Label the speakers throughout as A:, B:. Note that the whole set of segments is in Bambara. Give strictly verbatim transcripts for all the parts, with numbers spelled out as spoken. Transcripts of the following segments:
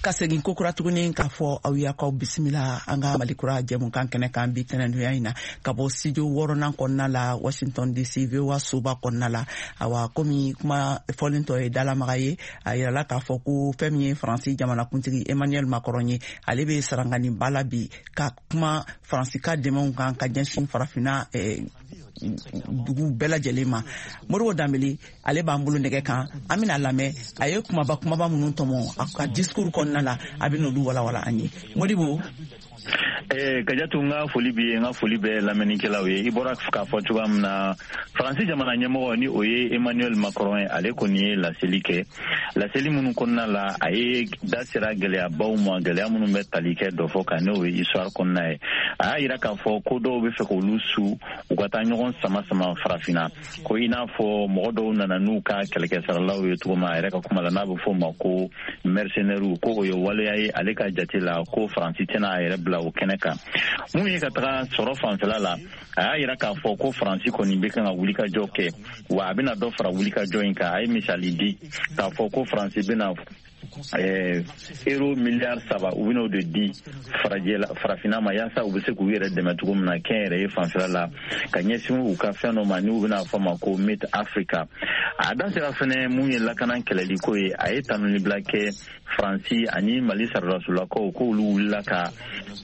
A: Ka segin kokura tuguni k'a fɔ aw y'akaw bisimila an ka Malikura jɛmukan kɛnɛ kan bi tɛnɛndonya in na, ka bɔ studio wɔɔrɔnan kɔnɔna la, Washington D C, V O A soba kɔnɔna la. Awa, komi kuma fɔlen tɔ ye dalamaga ye, a yirala k'a fɔ ko fɛn min ye Faransi jamanakuntigi Emmanuel Macron ye, ale bɛ saranganiba la bi ka kuma Faransi ka dɛmɛw kan ka ɲɛsin Farafinna eh, dugu bɛɛ lajɛlen ma. Modibo Danbele, ale b'an bolo nɛgɛ kan, an bɛna lamɛn a ye kumaba kumaba minnu tɔmɔ a ka discours kɔnɔna la, a bɛ n'olu walawala an ye. Modibo.
B: Eh, Kajatu, n ka foli b'i ye, n ka foli bɛ lamɛnnikɛlaw ye. I bɔra k'a fɔ cogoya min na, Faransi jamana ɲɛmɔgɔ, ni o ye Emmanuel Macron ye, ale kɔni ye laseli kɛ. Laseli minnu kɔnɔna la, a ye da sera gɛlɛyabaw ma, gɛlɛya minnu bɛ tali kɛ dɔ fɔ kan, n'o ye histoire kɔnɔna ye. A y'a yira k'a fɔ ko dɔw bɛ fɛ k'olu su u ka taa ɲɔgɔn sama sama Farafinna, ko i n'a fɔ mɔgɔ dɔw nana n'u ka kɛlɛkɛsaralaw ye cogo min, a yɛrɛ ka kuma la, n'a bɛ fɔ o ma ko mercenaires, ko o ye waleya ye ale ka jate la, ko Faransi tɛna a yɛrɛ bila o kɛnɛ kan. Mun ye ka taga sɔrɔ fanfɛla la, a y'a yira k'a fɔ ko Faransi kɔni bɛ kan ka wulikajɔ kɛ, wa a bɛna dɔ fara wulikajɔ in kan. A ye misali di k'a fɔ ko Faransi bɛna eh, euro miliyari saba, u bɛn'o de di farajɛla Farafinna ma, yaasa u bɛ se k'u yɛrɛ dɛmɛ cogo min na kɛnyɛrɛye fanfɛla la, ka ɲɛsin u ka fɛn dɔ ma n'u bɛna fɔ ma ko Made Africa. A da sera fɛnɛ mun ye lakana kɛlɛli ko ye, a ye tanunibila kɛ Faransi ani Mali saradasolakaw, k'olu wulila ka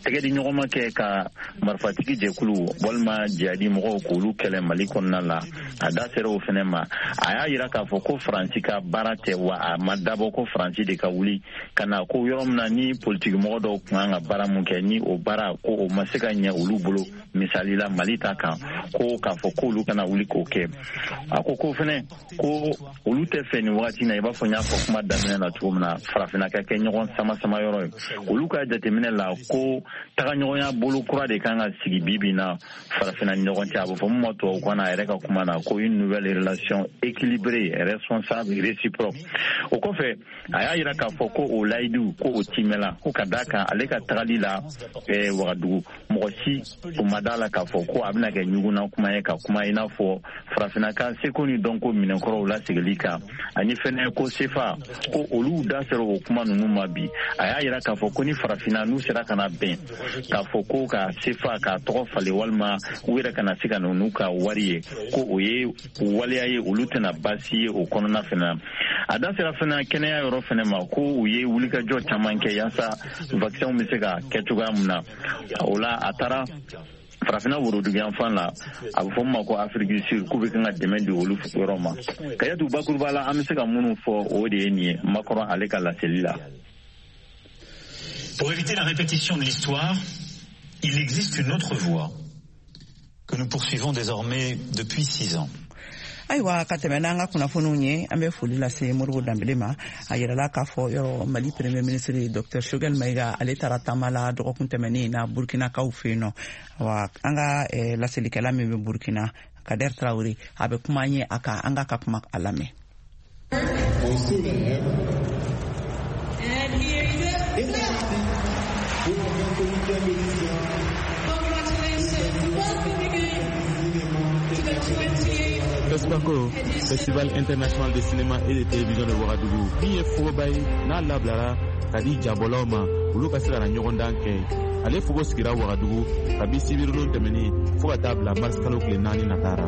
B: tɛgɛ di ɲɔgɔnma kɛ ka marifatigi jɛkulu walima jihadi mɔgɔw k'olu kɛlɛ Mali kɔnɔna la. A da sera o fɛnɛ ma. A y'a yira k'a fɔ ko Faransi ka baara tɛ, wa a ma dabɔ ko Faransi de ka wuli ka na ko yɔrɔ min na ni politikimɔgɔ dɔw tun kan ka baara mun kɛ, ni o baara ko o ma se ka ɲɛ olu bolo, misali la Mali ta kan, ko k'a fɔ k'olu kana wuli k'o kɛ. A ko ko fɛnɛ ko olu tɛ fɛ nin wagati na, i b'a fɔ n y'a fɔ kuma daminɛ na cogo min na, Farafinna ka kɛ ɲɔgɔn sama sama yɔrɔ ye. Olu ka jateminɛ la, ko tagaɲɔgɔnya bolo kura de kan ka sigi bi bi na Farafinna ni ɲɔgɔn cɛ, a bɛ fɔ mun ma tubabukan na, a yɛrɛ ka kuma na, ko une nouvelle relation équilibrée, responsable et réciproque. O kɔfɛ, a y'a yira k'a fɔ ko o layidu ko o timɛla, ko ka d'a kan ale ka tagali la eh, Wagadugu, mɔgɔ si o ma d'a la k'a fɔ ko a bɛna kɛ ɲugunna kuma ye ka kuma i n'a fɔ Farafinna ka seko ni dɔnko minɛnkɔrɔw lasegili kan, ani fɛnɛ ko sefa, ko olu da sera o kuma ninnu ma bi. A y'a yira k'a fɔ ko ni Farafinna n'u sera ka na bɛn k'a fɔ ko ka sefa k'a tɔgɔ falen, walima u yɛrɛ kana se ka na n'u ka wari ye, ko o ye waleya ye olu tɛna baasi ye o kɔnɔna fɛnɛ na. A da sera fɛnɛ kɛnɛya yɔrɔ fɛnɛ ma, ko u ye wulikajɔ caman kɛ yaasa vaccin bɛ se ka kɛ cogoya min na. O la, a taara Farafinna woroduguyanfan la, a bɛ fɔ min ma ko Afrique du Sud, k'u bɛ kan ka dɛmɛ di olu yɔrɔ ma. Kayatu, bakuruba la, an bɛ se ka minnu fɔ, o de ye nin ye Macron ale ka laseli la.
C: Pour éviter la répétition de l'histoire, il existe une autre voie que nous poursuivons désormais depuis six ans.
A: Ayiwa, ka tɛmɛ n'an ka kunnafoniw ye, an bɛ foli lase Modibo Danbele ma. A yirala k'a fɔ yɔrɔ Mali Premier ministre Docteur Choguel Maïga, ale taara taama la dɔgɔkun tɛmɛnen na Burkinakaw fɛ yen nɔ. Wa an ka eh, laselikɛla min bɛ Burkina, Kader Traore, a bɛ kuma an ye a kan, an k'a ka kuma a lamɛn.
D: On soulève.
E: And here is
D: Et
E: a
D: c'est
E: clap.
D: parti pour la vingt-huitième édition
E: Congratulations. Welcome again
D: cinéma
E: to the twentieth
F: FESPACO, Festival international de cinéma et de télévision de Ouagadougou, min ye fogoba ye n'a labilara ka di jabɔlaw ma, olu ka se ka na ɲɔgɔndan kɛ. Ale fogo sigira Wagadugu kabi sibiridon tɛmɛnin fɔɔ ka taa bila marisi kalo tile naani natara.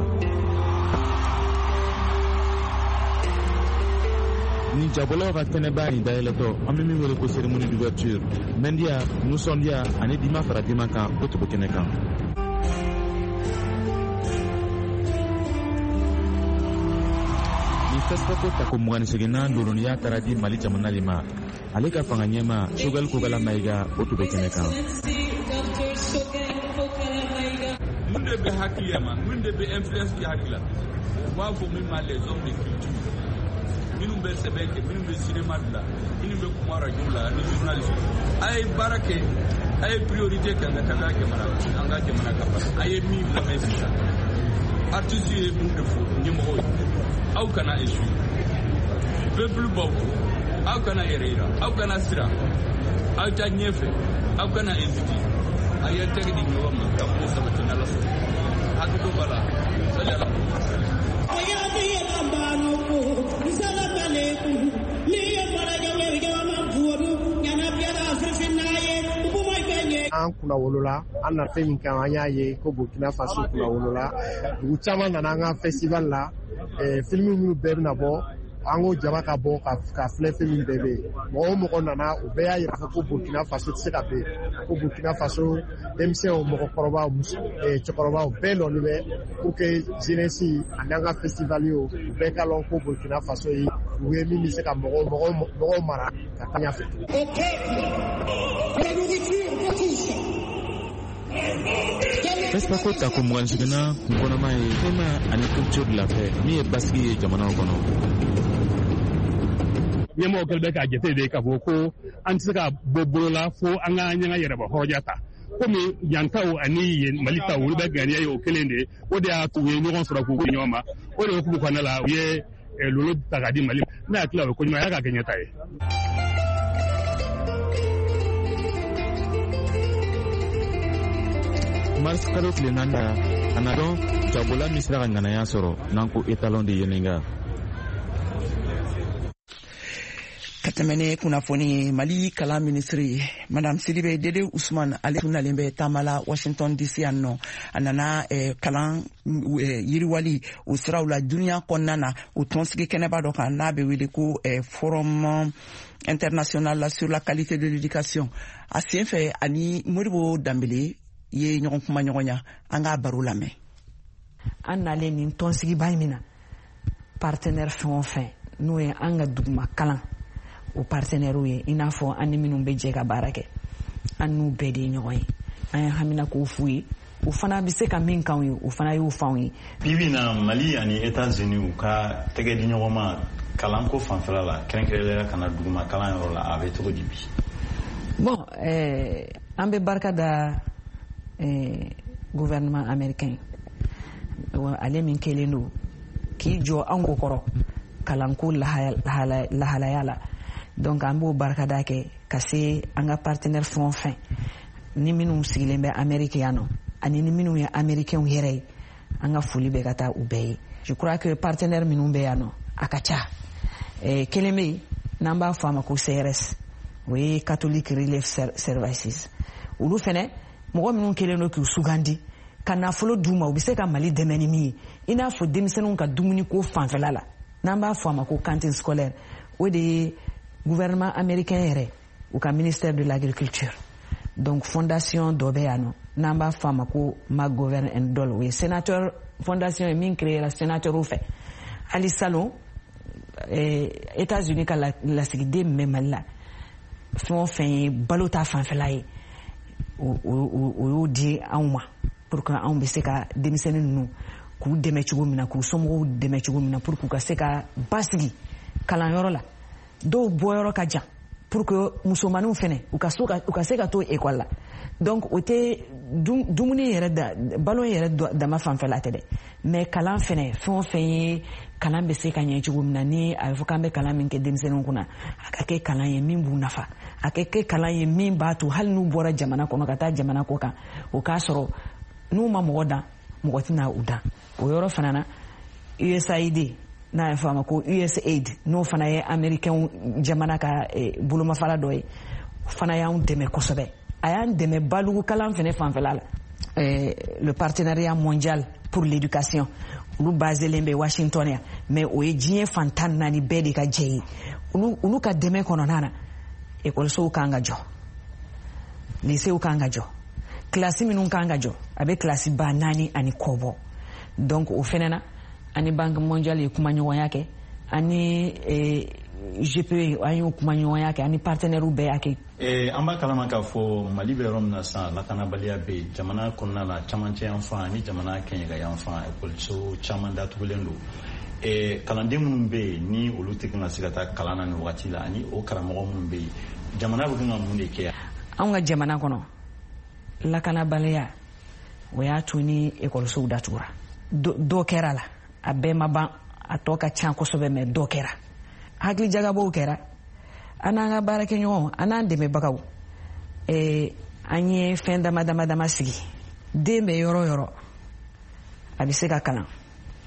F: Ni jabɔlaw ka kɛnɛba in dayɛlɛtɔ, an bɛ min wele ko cérémonie d'ouverture, mɛndiya, nisɔndiya ani dima fara dima kan, o tun bɛ kɛnɛ kan. Ni FESPACO tako mugan ni seginnan loroniya taara di Mali jamana de ma, ale ka fanga ɲɛma Choguel Kokalla Maïga, o tun bɛ kɛnɛ kan.
E: Excellency Doctor Choguel Kokalla Maïga.
G: Mun de bɛ hakili ma, mun de bɛ influence kɛ hakili la, u b'a fɔ min ma les hommes de culture, minnu bɛ sɛbɛn kɛ, minnu bɛ cinéma dilan, minnu bɛ kuma radio la ani journaliste. A ye baara kɛ, a ye priorité kɛ an ka ka jamana, an ka jamana ka baara. A ye min lamɛn sisan, artiste ye mun de fɔ ɲɛmɔgɔw ye? Aw kana échouer, peuple b'aw kɔ. Aw kana yɛrɛ yira, aw kana siran, aw ta ɲɛfɛ, aw kana hésiter. A ye tɛgɛ di ɲɔgɔn ma ka ko sabati n'Ala sɔnna. Hakili b'a la sali Ala.
H: An kunna wolola, an na fɛn min kan, an y'a ye ko Burkina Faso kunna wolola. Dugu caman nana an ka festival la, film minnu bɛɛ bɛna bɔ, an ko jama ka bɔ ka ka filɛ fɛn min bɛɛ bɛ yen. Mɔgɔ o mɔgɔ nana, o bɛɛ y'a yira ko Burkina Faso tɛ se ka bɛn, ko Burkina Faso denmisɛnw, mɔgɔkɔrɔbaw, cɛkɔrɔbaw bɛɛ lɔnnen bɛ pour que jeunesse ani an ka festival ye, u bɛɛ ka lɔn ko Burkina Faso ye dugu ye min bɛ se ka mɔgɔw mɔgɔw mɔgɔw mara ka taa ɲɛfɛ.
F: FESPACO tako mugan seginna kunkɔnɔma ye climat ani culture de la paix min ye basigi ye jamanaw kɔnɔ.
I: Ɲɛmɔgɔ kɛlen bɛ k'a jate de k'a fɔ ko an tɛ se ka bɔ bolo la fo an ka ɲɛgɛn yɛrɛba hɔrɔnya ta. Komi yan taw ani Mali taw olu bɛ ŋaniya ye o kelen de ye, o de y'a to u ye ɲɔgɔn sɔrɔ k'u ɲɔgɔn ma. O de hukumu kɔnɔna la u ye lolo ta k'a di Mali ma. Ne hakili la o ye ko ɲuman ye, a k'a kɛ ɲɛta ye.
F: Mars kalo tile naani la, a na dɔn jabola min sera ka ŋanaya sɔrɔ n'an ko étalon de Yennenga.
A: Ka tɛmɛ ni kunnafoni ye, Mali kalan minisiri Madame Sidibe Dede Usman, ale tun nalen bɛ taama la Washington D C yan nɔ. A nana eh, kalan eh, yiriwali o siraw la duniya kɔnɔna na, o tɔnsigi kɛnɛba dɔ kan n'a bɛ wele ko eh, Forum international sur la qualité de l'éducation. A sen fɛ ani Modibo Danbele ye ɲɔgɔn kuma ɲɔgɔnya, an k'a baro lamɛn.
J: An nalen nin tɔnsigiba in min na, partenaire fɛn o fɛn n'o ye an ka duguma kalan o partenaires ye, i n'a fɔ an ni minnu bɛ jɛ ka baara kɛ, an n'u bɛɛ de ye ɲɔgɔn ye. An ye hamina k'o f'u ye, o fana bɛ se ka min k'anw ye, o fana y'o f'anw ye.
C: Bi bi in na, Mali ani États-Unis u ka tɛgɛ di ɲɔgɔn ma kalanko fanfɛla la, kɛrɛnkɛrɛnnenya ka na duguma kalan yɔrɔ la, a bɛ cogo di bi?
J: Bon, eh, an bɛ barika da eh, gouvernement américain, ale min kɛlen don k'i jɔ anw ko kɔrɔ kalanko lahalaya la. Donc an b'o barikada kɛ ka se an ka partenaire fɛn o fɛn ni minnu sigilen bɛ Amérique yan nɔ, ani ni minnu ye américains yɛrɛ ye, an ka foli bɛ ka taa u bɛɛ ye. Je crois que partenaire minnu bɛ yan nɔ a ka ca. Eh, kelen bɛ yen n'an b'a fɔ a ma ko C R S, o ye Catholic Relief Services. Olu fɛnɛ mɔgɔ minnu kɛlen don k'u sugandi ka nafolo d'u ma, u bɛ se ka Mali dɛmɛ ni min ye, i n'a fɔ denmisɛnninw ka dumuniko fanfɛla la, n'an b'a fɔ a ma ko cantine scolaire, o de ye gouvernement américain yɛrɛ u ka ministère de l'agriculture. Donc fondation dɔ bɛ yan nɔ n'an b'a fɔ a ma ko McGovern and Dole, o ye sénateur fondation ye min créera sénateur fɛ. Hali salon eh, États-Unis ka lasigiden min bɛ Mali la, fɛn o fɛn ye balo ta fanfɛla ye, o o y'o di anw ma pour que anw bɛ se ka denmisɛnnin ninnu k'u dɛmɛ cogo min na, k'u somɔgɔw dɛmɛ cogo min na, pour k'u ka se ka basigi kalanyɔrɔ la. Dɔw bɔyɔrɔ ka jan, pour que musomaninw fɛnɛ u ka so ka u ka se ka to école la. Donc o tɛ dumuni yɛrɛ da balo yɛrɛ dama fanfɛla tɛ dɛ, mais kalan fɛnɛ, fɛn o fɛn ye kalan bɛ se ka ɲɛ cogo min na, ni a bɛ fɔ k'an bɛ kalan min kɛ denmisɛnninw kunna, a ka kɛ kalan ye min b'u nafa, a ka kɛ kalan ye min b'a to hali n'u bɔra jamana kɔnɔ ka taa jamana kɔ kan, o k'a sɔrɔ n'u ma mɔgɔ dan, mɔgɔ tɛna u dan. O yɔrɔ fana na, U S A I D n'a ye fɔ a ma ko U S A I D, n'o fana ye américain jamana ka bolomafara dɔ ye, o fana y'anw dɛmɛ kosɛbɛ. A y'an dɛmɛ balugu kalan fɛnɛ fanfɛla la, le partenariat mondial pour l'éducation, olu baselen bɛ Washington yan, mais o ye diɲɛ fan tan naani bɛɛ de ka jɛ ye. Olu olu ka dɛmɛ kɔnɔna na, ekɔlisow kan ka jɔ, lycéew kan ka jɔ, kilasi minnu kan ka jɔ, a bɛ kilasi ba naani ani kɔ bɔ. Donc o fɛnɛ na, ani Banque mondiale ye kumaɲɔgɔnya kɛ, ani G P E an y'o kumaɲɔgɔnya kɛ, ani partenaires bɛɛ y'a kɛ.
C: An b'a kalama k'a fɔ Mali bɛ yɔrɔ min na sisan, lakanabaliya bɛ yen jamana kɔnɔna la, camancɛ yan fan ani jamana kɛɲɛka yan fan, ekɔliso caman datugulen don. Kalanden minnu bɛ yen ni olu tɛ kan ka se ka taa kalan na nin wagati la, ani o karamɔgɔ minnu bɛ yen, jamana bɛ kan ka mun de kɛ?
J: Anw ka jamana kɔnɔ, lakanabaliya o y'a to ni ekɔlisow datugura. Dɔ kɛra la, a bɛɛ ma ban, a tɔ ka ca kosɛbɛ, mɛ dɔ kɛra. Hakilijagabɔw kɛra, an n'an ka baarakɛɲɔgɔnw, an n'an dɛmɛbagaw, eh, an ye fɛn dama dama dama sigi. Den bɛ yɔrɔ o yɔrɔ, a bɛ se ka kalan.